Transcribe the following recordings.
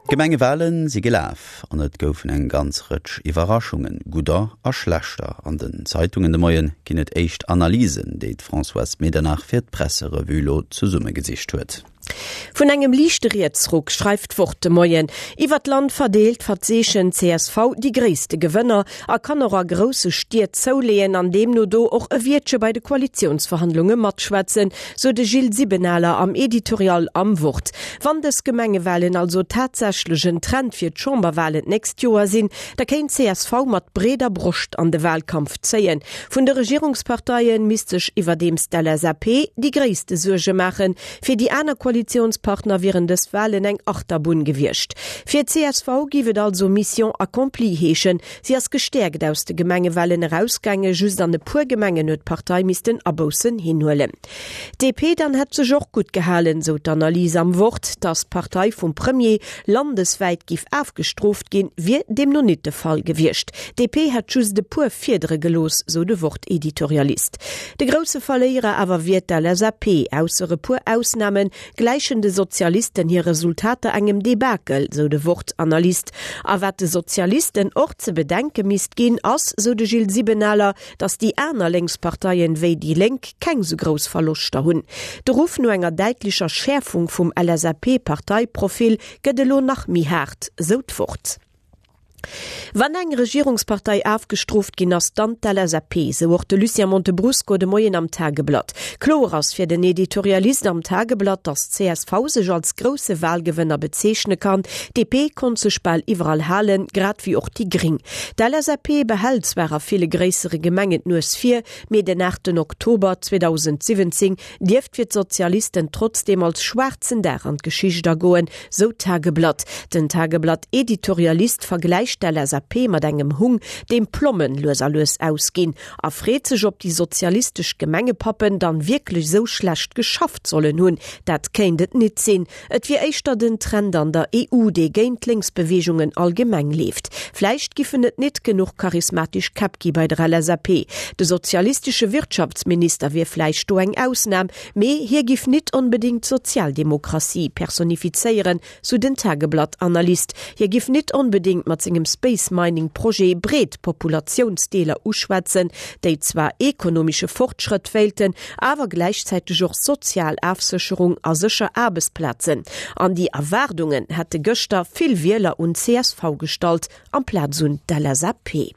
D'Gemengewale si gelaf an et goufen eng ganz Rëtsch Iwwerraschungen, gudder a schlechter. An den Zeitungen de Moie ginn et éischt Analysen, déi d'Françoise Medernach fir d'Presserevue lo zesummegesicht huet. Vun engem liichte Rietsruck schreift d'Wort de Moien. Iwwer d'Land verdeelt verzeechent csv déi gréisste Gewënner a kann och a grousse Stied zouleeën an deemno do och e Wiertche bei de Koalitiounsverhandlunge matschwätzen, sou de Gilles Sibenaler am Editorial am Wort. Wann dës Gemengewalen also tatsächlech en Trend fir d'Chamberwalen d'nächst Joer sinn, da kéint csv mat breeder Broscht an de Walkampf zéien. Vun de Regierungsparteie misst sech iwwerdeems d'LSAP déi gréisste Suerge maachen. Fir déi aner Koalitiounspartner wieren dës Walen eng Achterbunn gewiescht. Fir csv géif et also Mission accomplie heeschen. Si ass gestäerkt aus de Gemengewalen erausgaangen, just an e puer Gemengen huet d'Partei missten Aboussen hinhuelen. D'DP dann hätt sech och gutt gehalen, sou d'Analys am Wort. Datt d'Partei vum Premier landeswäit giff afgestrooft ginn, wier deemno nit de Fall gewiescht. D'DP hätt just e puer Fiedere gelooss, sou de Wort-Editorialist. De grousse Verléierer awer wier d'LSAP. Ausser e puer Ausname gläichen de Sozialisten hir Resultater engem Debakel, sou de Wort-Analyst. A wat de Sozialisten och ze bedenke misst ginn, ass, sou de Gilles Sibenaler, datt déi aner Lénksparteien, wéi déi Lénk, keng sou grouss Verloschter hunn. De Ruff no enger däitlecher Schäerfung vum LSAP-Parteiprofil gëtt elo nach méi haart, sou d'Wort. Wann eng Regierungspartei afgestrooft ginn ass, dann d'LSAP, sou och de Lucien Montebrusco de Moien am Tageblatt. Kloer ass fir den Editorialist am Tageblatt, datt csv sech als grousse Walgewënner bezeechne kann. DP konnt sech bal iwwerall halen, grad wéi och déi Gring. D'LSAP behält zwar a ville gréissere Gemengen d'Nues vir, mee den 8 Oktober 2017 dierft fir d'Sozialisten trotzdeem als schwaarzen Dag an d'Geschicht agoen, Sou d'Tageblatt. Den Tageblatt-Editorialist vergläicht d'LSAP mat engem Hung, deem d'Plommen lues a lues ausginn, a freet sech, ob déi sozialistesch Gemengepappen dann wierklech sou schlecht geschafft sollen hunn. Dat kéint et nit sinn. Et wier éischter den Trend an der EU, dee géint d'Lénksbeweegungen allgemeng leeft. Vläicht giffen et nit genuch charismatisch Käpp gi bei der LSAP. De sozialistesche Wirtschaftsminister wier vläicht do eng Ausnam, Mee hie giff nit onbedingt d'Sozialdemokratie personifizéieren, sou den Tageblatt-Analyst. Hie giff nit onbedingt mat sengem Space Mining Projet breet Populatiounsdeeler uschwätzen, déi zwar ekonomische Fortschrëtt wéilten, awer gläichzäiteg och sozial Afsécherung a sécher Aarbechtsplazen. An déi Erwaardungen hätte gëschter vill Wieler un csv gestallt, amplaz un d'LSAP.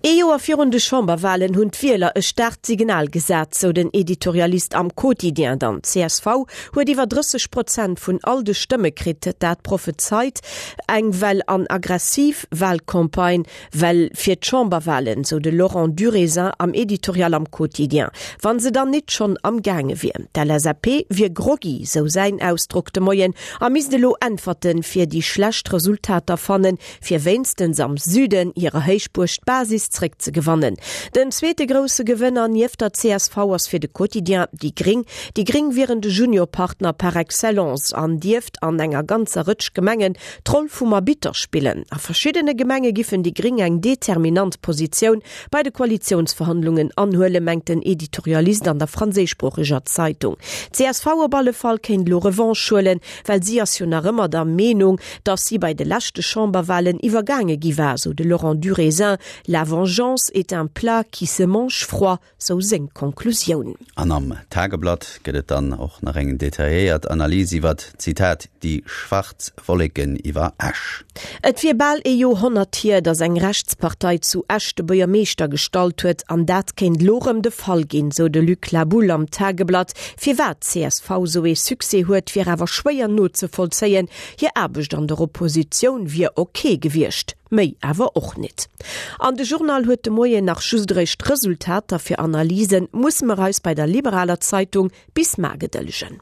Ee Joer virun de Chamberwalen hunn d'Wieler e staarkt Signal gesat, sou den Editorialist am Quotidien dann. Csv huet iwwer 30 Prozent vun all de Stëmme kritt. Dat prophezeit eng well an aggressiv Walcampagne well fir d'Chamberwalen, sou de Laurent Durézin am Editorial am Quotidien. Wa se dann nit schonn am gaange wier. D'LSAP wier groggy, sou säin Ausdrock de Moien, a misst elo Äntwerte fir déi schlecht Resultater fannen, fir wéinstens am Süden hirer Héichbuerg d'Basis zréckzegewannen. Den zweete grousse Gewënner nieft der csv ass fir de Quotidien déi Gring. Déi Gring wieren de Juniorpartner par excellence an dierft an enger ganzer Rëtsch Gemengen d'Roll vum Arbitter spillen. A verschiddene Gemenge giffen déi Gring eng determinant Positioun bei de Koalitiounsverhandlungen anhuelen, mengt den Editorialist an der franséischsproocheger Zeitung. Csv op alle Fall kéint elo Revanche huelen, well si ass jo nach ëmmer der Meenung, datt si bei de leschte Chamberwahlen iwwergaange gi war, sou de Laurent Durézin. La vengeance est un plat qui se mange froid, sou seng Konklusioun. An am Tageblatt gëtt et dann och nach eng detailléiert Analys iwwert, Zitat, die schwarz Wolleken iwwer Esch. Et wier bal ee Joerhonnert hier, datt eng Rechtspartei zu Esch de Buergermeeschter gestallt huet, an dat kéint elo rëm de Fall ginn, sou de Luc Laboulle am Tageblatt. Firwat csv sou ee Succès huet, wier awer schwéier nozevollzéien. Hir Aarbecht an der Oppositioun wier ok gewiescht, méi awer och nit. An de Journal huet de Moien nach just eréischt d'Resultater. Fir Analyse musse mer eis bei der liberaler Zeitung bis mar gedëllegen.